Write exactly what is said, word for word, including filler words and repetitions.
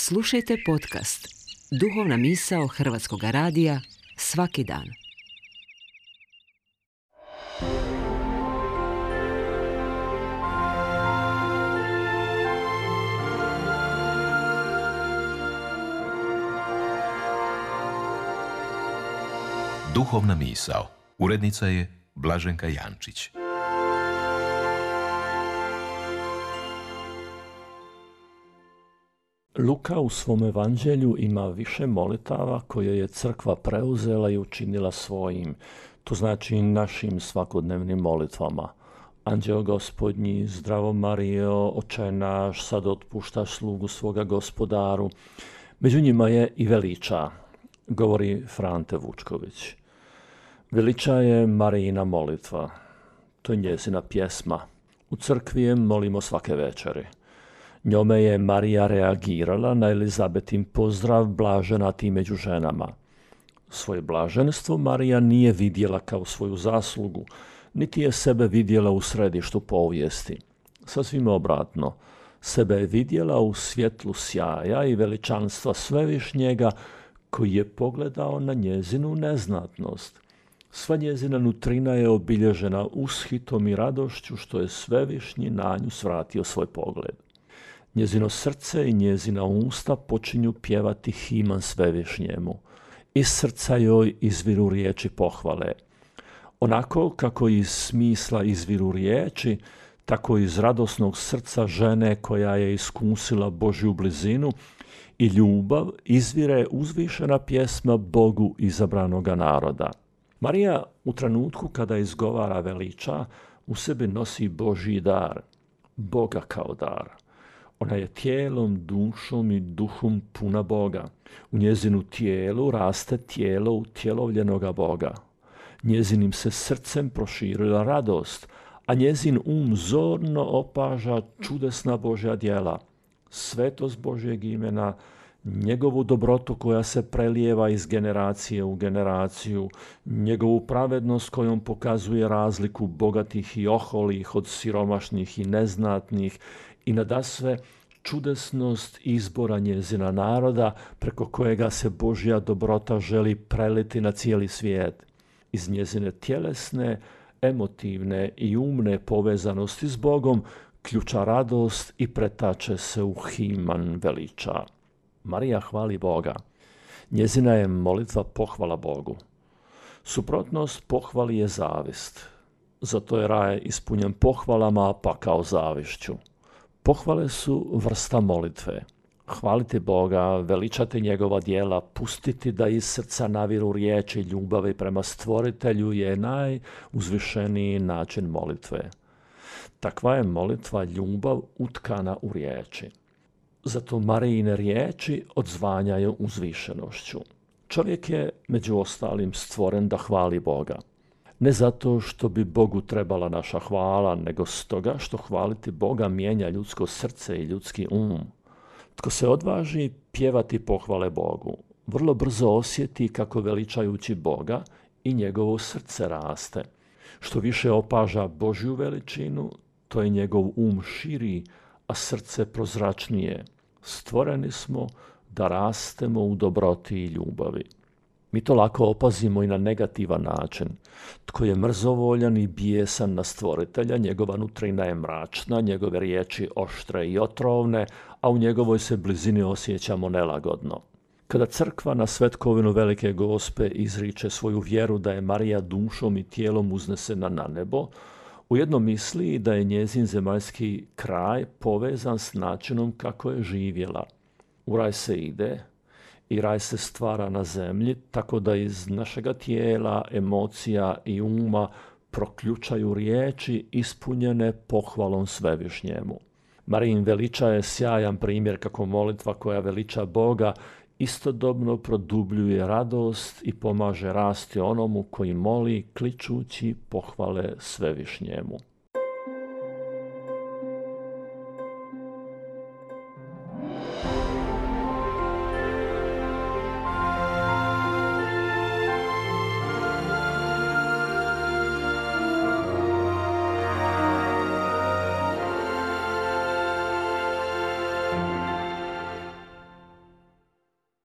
Slušajte podcast Duhovna misao Hrvatskog radija svaki dan. Duhovna misao. Urednica je Blaženka Jančić. Luka u svom evanđelju ima više molitava koje je crkva preuzela i učinila svojim, to znači našim svakodnevnim molitvama. Anđeo Gospodnji, zdravo Marijo, Oče naš, sad otpuštaš slugu svoga Gospodaru. Među njima je i veliča, govori Frante Vučković. Veliča je Marijina molitva, to je njezina pjesma. U crkvi je molimo svake večeri. Njome je Marija reagirala na Elizabetin pozdrav blažena ti među ženama. Svoje blaženstvo Marija nije vidjela kao svoju zaslugu, niti je sebe vidjela u središtu povijesti. Sasvim obratno, sebe je vidjela u svjetlu sjaja i veličanstva Svevišnjega koji je pogledao na njezinu neznatnost. Sva njezina nutrina je obilježena ushitom i radošću što je Svevišnji na nju svratio svoj pogled. Njezino srce i njezina usta počinju pjevati himan Svevišnjemu. Iz srca joj izviru riječi pohvale. Onako kako iz smisla izviru riječi, tako iz radosnog srca žene koja je iskusila Božju blizinu i ljubav izvire uzvišena pjesma Bogu izabranoga naroda. Marija u trenutku kada izgovara veliča u sebi nosi Božji dar, Boga kao dar. Ona je tijelom, dušom i duhom puna Boga. U njezinu tijelu raste tijelo utjelovljenoga Boga. Njezinim se srcem proširila radost, a njezin um zorno opaža čudesna Božja djela, svetost Božjeg imena, njegovu dobrotu koja se prelijeva iz generacije u generaciju, njegovu pravednost kojom pokazuje razliku bogatih i oholih od siromašnih i neznatnih, i nadasve čudesnost izbora njezina naroda preko kojega se Božja dobrota želi preliti na cijeli svijet. Iz njezine tjelesne, emotivne i umne povezanosti s Bogom ključa radost i pretače se u himan veliča. Marija hvali Boga. Njezina je molitva pohvala Bogu. Suprotnost pohvali je zavist. Zato je raj ispunjen pohvalama pa kao zavišću. Pohvale su vrsta molitve. Hvaliti Boga, veličati njegova djela, pustiti da iz srca naviru riječi ljubavi prema Stvoritelju je najuzvišeniji način molitve. Takva je molitva ljubav utkana u riječi. Zato Marijine riječi odzvanjaju uzvišenošću. Čovjek je među ostalim stvoren da hvali Boga. Ne zato što bi Bogu trebala naša hvala, nego stoga što hvaliti Boga mijenja ljudsko srce i ljudski um. Tko se odvaži pjevati pohvale Bogu, vrlo brzo osjeti kako veličajući Boga i njegovo srce raste. Što više opaža Božju veličinu, to je njegov um širi, a srce prozračnije. Stvoreni smo da rastemo u dobroti i ljubavi. Mi to lako opazimo i na negativan način. Tko je mrzovoljan i bijesan na Stvoritelja, njegova nutrina je mračna, njegove riječi oštre i otrovne, a u njegovoj se blizini osjećamo nelagodno. Kada crkva na svetkovinu Velike Gospe izriče svoju vjeru da je Marija dušom i tijelom uznesena na nebo, ujedno misli da je njezin zemaljski kraj povezan s načinom kako je živjela. U raj se ide i raj se stvara na zemlji, tako da iz našega tijela, emocija i uma proključaju riječi ispunjene pohvalom Svevišnjemu. Marijin veliča je sjajan primjer kako molitva koja veliča Boga istodobno produbljuje radost i pomaže rasti onomu koji moli kličući pohvale Svevišnjemu.